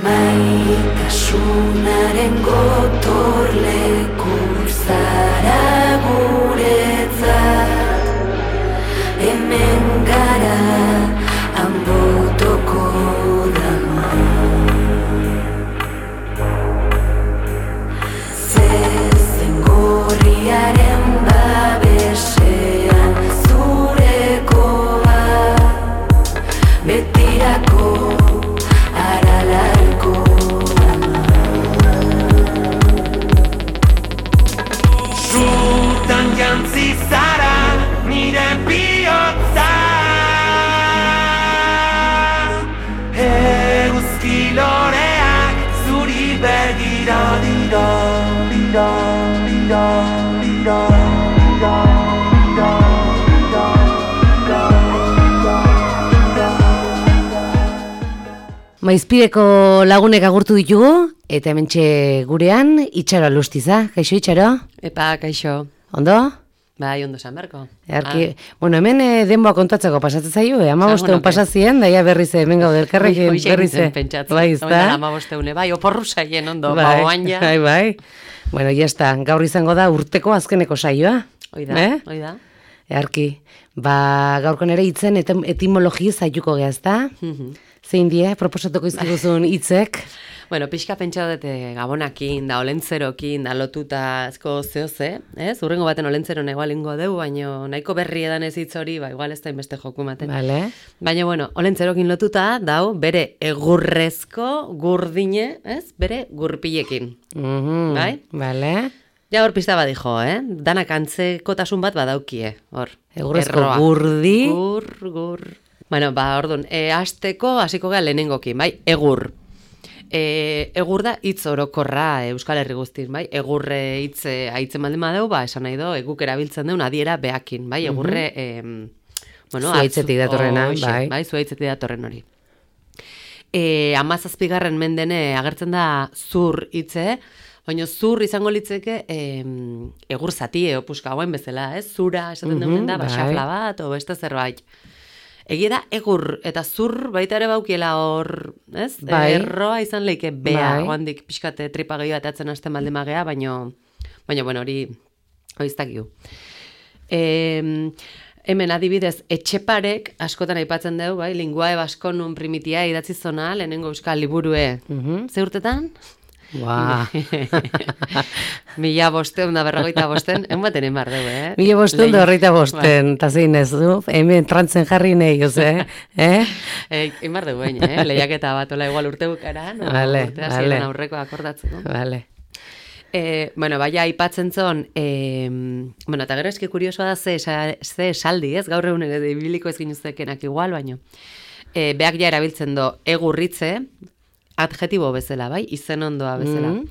Maitasunaren gotorleku zara guretzat. Hemen gara Anbotoko dama. Zezen gorriaren babesean zurekoa, betirako aralarko dama. Zutan jantzi zara nire bihotza, eguzki loreak zuri begira dira, dira, dira, dira, dira, dira, Maizpideko lagunek agurtu ditugu, eta hementxe gurean, Itxaro Alustiza. Kaixo, Itxaro? Epa, kaixo. Ondo? Bai, ondo esan berko. Bueno, hemen denboa kontatzeko pasatzen zaio, 15 pasazien, daia berriz hemen gaude elkarrekin berriz. Bai, ezta? 15 bai, oporru saien ondo, bai, baoan ja. Bai. Bueno, ya está, gaur izango da urteko azkeneko saioa. Oida. Earki, gaurkon ere hitzen etimologi zaituko geha, ezta? Zein die, proposatuko izkiguzun hitzek? Bueno, pixka pentsa dute gabonakin, da olentzerokin, da lotuta ezko zehoze, ez? Urrengo baten olentzeron egualingo deu, baina nahiko berri edan ez hitz hori, igual ez da inbeste joku maten. Vale. Baina, bueno, olentzerokin lotuta, dau, bere egurrezko gurdine, ez? Bere gurpilekin. Bai? Vale. Ja, hor pista badijo, Danak antzekotasun bat badaukie, hor. Egurrezko gurdi. Gur. Bueno, orduan, hasteko hasiko gea lehenengokin, bai? Egur. Egur da hitz orokorra Euskal Herri guztin, bai? Egurre hitz aitzen baldin badeu, esan nahi do, guk erabiltzen deun adiera beakin, bai? Egurre, bueno, zuaitzetik datorrena, bai. Bai, zuaitzetik datorren hori. 17. mendene agertzen da zur hitze, baina zur izango litzeke egur zatie opuska hauen bezala, ez? Zura esaten duen da, xafla bat, o beste zerbait. Egia da, egur eta zur baita ere baukiela hor, ez? Bai. Erroa izan leike bea, oandik pixkate tripa gehi bat atzen hasten baldin magea, baina, bueno, hori iztakiu. Hemen adibidez, Etxeparek askotan aipatzen dugu, bai, linguae baskonun primitia idatzi zona, lehenengo euskal liburue. Ze urtetan? 1555, enbaten enbar dugu, 1555, eta zein ez du, hemen trantzen jarri nahi, oze, enbar dugu, lehiaketa bat, ola igual urte bukara, urtea ziren aurreko akordatzen. Vale. Bueno, baina aipatzen zon, bueno, eta gero eski kuriosoa da ze esaldi, ez, gaur egun ere biliko ez ginuzekenak igual, baino. Beak ja erabiltzen do, egurritze, adjetibo bezala, bai, izen ondoa bezala.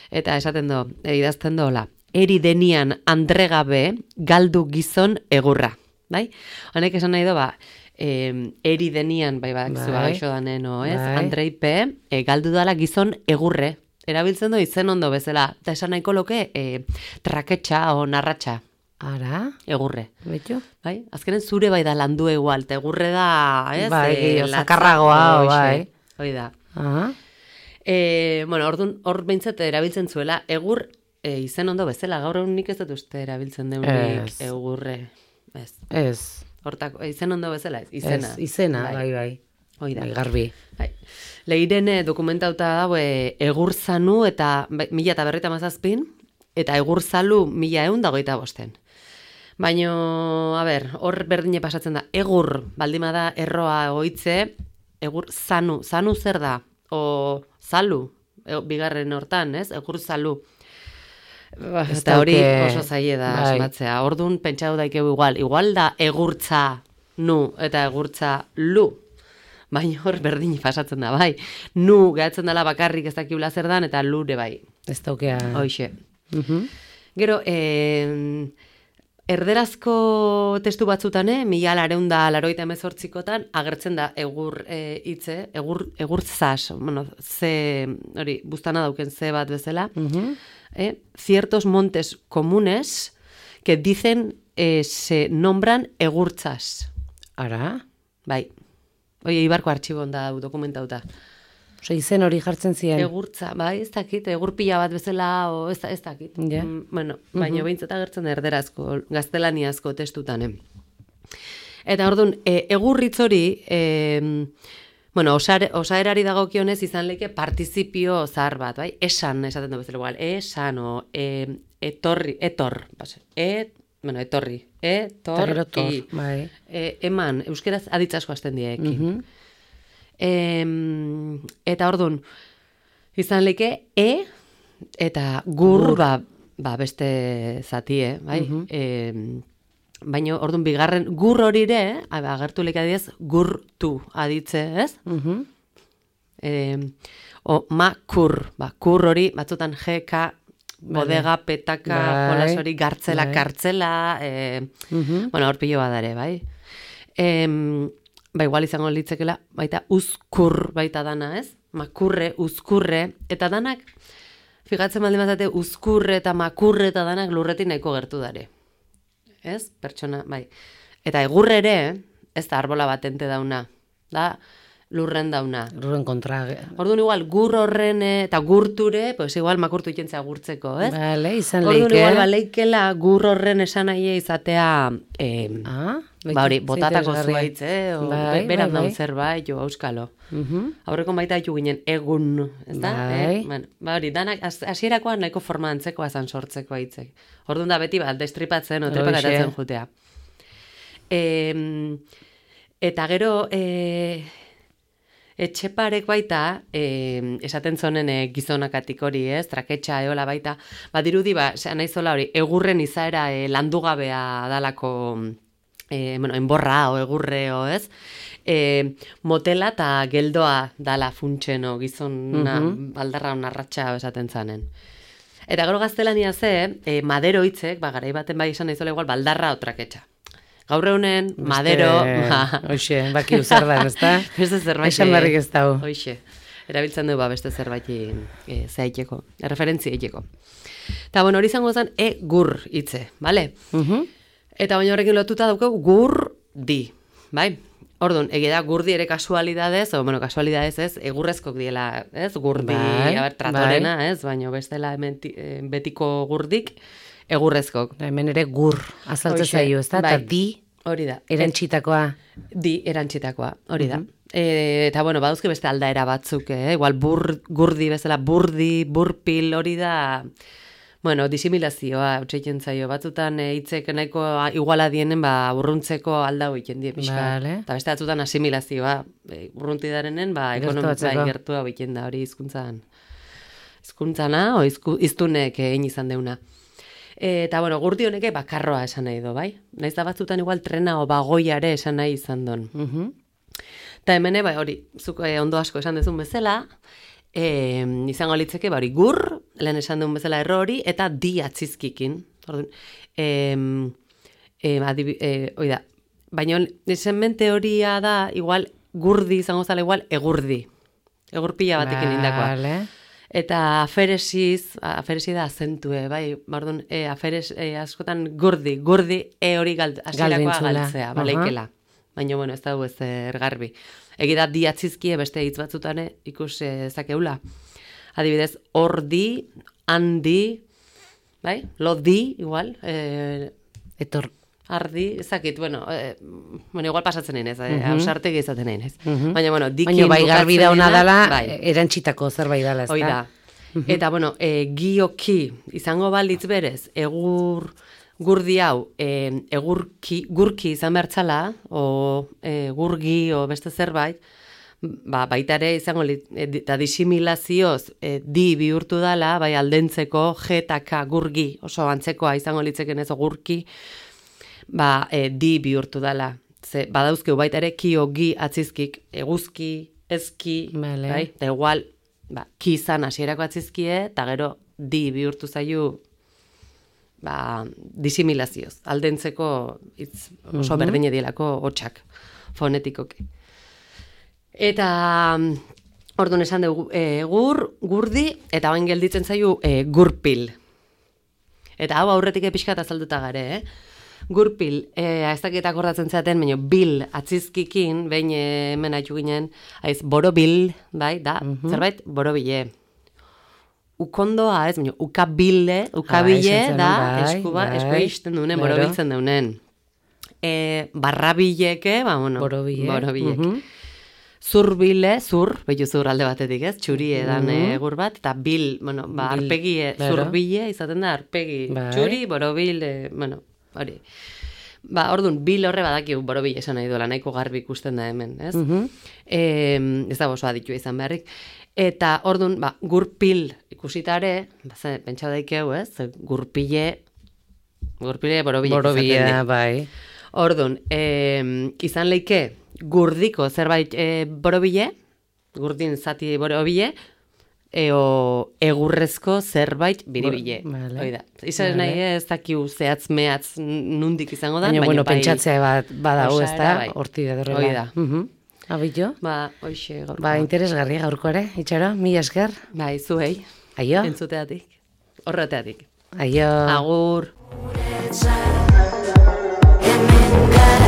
Eta esaten do, idazten dola, eri denian andregabe galdu gizon egurra, bai? Honek esan nahi do, eri denian, bai, gaixo danen, ez? Andreipe, galdu dala gizon egurre. Erabiltzen do izen ondo bezala. Eta esan nahiko loke, traketxa o narratxa. Ara? Egurre. Betxo? Bai? Azkenen zure bai da landu egual, eta egurre da, ez? Bai, zakarragoa, bai. Hoi da. Bueno, hor behintzat erabiltzen zuela, egur izen ondo bezala, gaur egun nik ez dut uste erabiltzen deunik egurre. Ez. Hortako, izen ondo bezala, izena. Izena, bai. Hoi da. Garbi. Lehiren dokumentauta dago egur zanu eta 1957 eta egur zalu 1125. Baina, hor berdine pasatzen da, egur, baldima da erroa oitze, egur zanu zer da? O zalu, bigarren hortan, ez? Egur zalu. Eta hori oso zaie da asmatzea. Orduan pentsatu daikegu igual da egurtza nu eta egurtza lu. Baina hor berdin pasatzen da, bai. Nu gehatzen dela bakarrik ez dakibula zer dan, eta lure bai. Ez daukea. Hoxe. Gero, erderazko testu batzutan, 1988 agertzen da egur hitze, egur zas, bueno, ze, hori, buztana dauken ze bat bezala, ciertos montes comunes que dicen se nombran egurtzas. Ara? Bai. Oie, Ibarko artxibon da dokumentauta. Osa, izen hori jartzen ziren. Egurtza, bai, ez dakit, egurpila bat bezala, o ez dakit. Ja. Bueno, baina behintzat agertzen da erderazko, gaztelaniazko testutan. Eta orduan, egurritz hori, bueno, osaerari dagokionez izan leke partizipio zahar bat, bai? Esan, esaten du bezala igual, esan, o etorri, bueno, etorri, etorri, bai. eman, euskeraz aditzasko hasten diekin. Eta orduan, izan leke, eta gur, ba beste zatie, bai? Baina, orduan, bigarren gur horire, agertu leke adidez, gurtu aditze, ez? Makur, kur hori, batzutan GK, bodega, petaka, jolas hori, gartzela, kartzela, bueno, hor pilo badare, bai? Ba, igual izango litzekela, baita uzkur baita dana, ez? Makurre, uzkurre, eta danak, figatzen baldin bazate, uzkurre eta makurre eta danak lurretik nahiko gertu dare. Ez? Pertsona, bai. Eta egurre ere, ez da arbola batente dauna, da lurren dauna. Lurren kontra. Orduan igual, gur horren eta gurture, pues igual makurtu ikentzea gurtzeko, ez? Vale, izan leike. Orduan igual, baleikela gur horren esan nahi izatea, ba hori, botatako zuaitz, beran daun zerbait, jo, auskalo. Aurreko baita ditu ginen egun, ez da? Ba hori, danak, hasierakoan nahiko forma antzekoa zan sortzeko aitzek. Orduan da beti bat, destripatzen, tripakatatzen jutea. Eta gero, etxeparek baita, esaten zonen gizonakatik hori, ez, traketxa eola baita, dirudi, nahizola hori, egurren izaera landugabea dalako, bueno, enborra o egurreo, ez? Motela eta geldoa dala funtseno gizona baldarra onarratxa esaten zanen. Eta gero gaztelania ze, madero hitzek, garai baten bai esan nahizola igual baldarra o traketxa. Gaur egunen, madero... Hoxe, baki uzar da, ez da? Beste zerbait... Esan barrik ez dau. Hoxe, erabiltzen du beste zerbait zehaiteko, referentzia eiteko. Eta bueno, hori izango zen, gur hitze, bale? Eta baina horrekin lotuta daukau gurdi, bai? Orduan, da gurdi ere kasualidadez, o bueno, kasualidadez ez, egurrezkok diela, ez? Gurdi, tratorena, ez? Baina bestela betiko gurdik, egurrezkok. Hemen ere gur azaltzen zaio, ez da? Eta di, hori da. Erantxitakoa. Di, erantxitakoa, hori da. Eta, bueno, baduzke beste aldaera batzuk, igual gurdi bezala, burdi, burpil, hori da... Bueno, disimilazioa, utxeiken zaio, batzutan hitzek nahiko iguala dienen, urruntzeko aldau egiten die pixka. Eta beste batzutan asimilazioa, urrunti darenen, ekonomia gertu hau egiten da, hori hizkuntzana, o iztunek egin izan deuna. Eta, bueno, gurdi honeke bakarroa esan nahi do, bai? Naiz da batzutan igual trena o bagoiare esan nahi izan don. Eta hemen, hori, zuk ondo asko esan dezun bezala, izango litzeke, hori gur, lehen esan duen bezala errori, eta di atzizkikin. Oida, baina izen mente horia da, igual, gurdi izango zala igual, egurdi. Egurpila batekin indakoa. Eta aferesi da azentue, bai, bardun, askotan gurdi, hori hasierakoa galtzea, baleikela. Baina, bueno, ez da ez ergarbi. Egida di atzizkie beste hitz batzutane ikus zakeula. Adibidez, ordi, handi, bai? Lodi, igual. Ardi, ezakit, bueno, igual pasatzen nahi nez, hausartegi izaten nahi nez. Baina, bueno, dikin bukatzen bai, garbi dauna dala, erantxitako zerbait dala, ez da? Hoi da. Eta, bueno, gioki, izango balitz berez, gurdi hau, gurki izan bertzala, o gurgi, o beste zerbait, baita ere izango, eta disimilazioz, di bihurtu dala, bai aldentzeko, G eta K, gurgi, oso antzekoa izango litzeken ez, gurki, di bihurtu dala. Badauzkeu baita ere, kio, gi, atzizkik, eguzki, ezki, bai, eta igual, ki izan hasierako atzizkie, eta gero, di bihurtu zaiu, disimilazioz, aldentzeko oso berdine dielako hotxak, fonetikoki. Eta orduan esan dugu gurdi, eta bain gelditzen zaiu gurpil. Eta hau aurretik pixkat azalduta gare, Gurpil, ez dakit akordatzen zaten, baina bil atzizkikin, behin hemen haitu ginen, borobil, bai, da, zerbait, borobile. Ukondoa ez, baina ukabile, ukabile da, esku isten dunen, borobiltzen dunen. Barrabileke, borobilek. Zurbile, behitu zur alde batetik ez, txuri edan egur bat, eta bil, arpegi, zurbile, izaten da, arpegi, txuri, borobil, hori. Orduan, bil horre badakigu borobile esan nahi duela, nahiko garbi ikusten da hemen, ez? Ez da oso aditua izan beharrik. Eta orduan, gurpil ikusitare, pentsa daikeu, ez? Gurpile borobile, bai. Orduan, izan leike gurdiko zerbait borobile, gurdin zati borobile, egurrezko zerbait biribile. Oida. Izan nahi ez dakiu zehatz mehatz nundik izango da, baina pentsatzea badau ez da, bai. Horti edorrela. Oida. Abilo? Hoxe gaurko. Interesgarria gaurko ere, Itxaro, mila esker. Zuei. Aio. Entzuteatik. Horreteatik. Aio. Agur. Hemen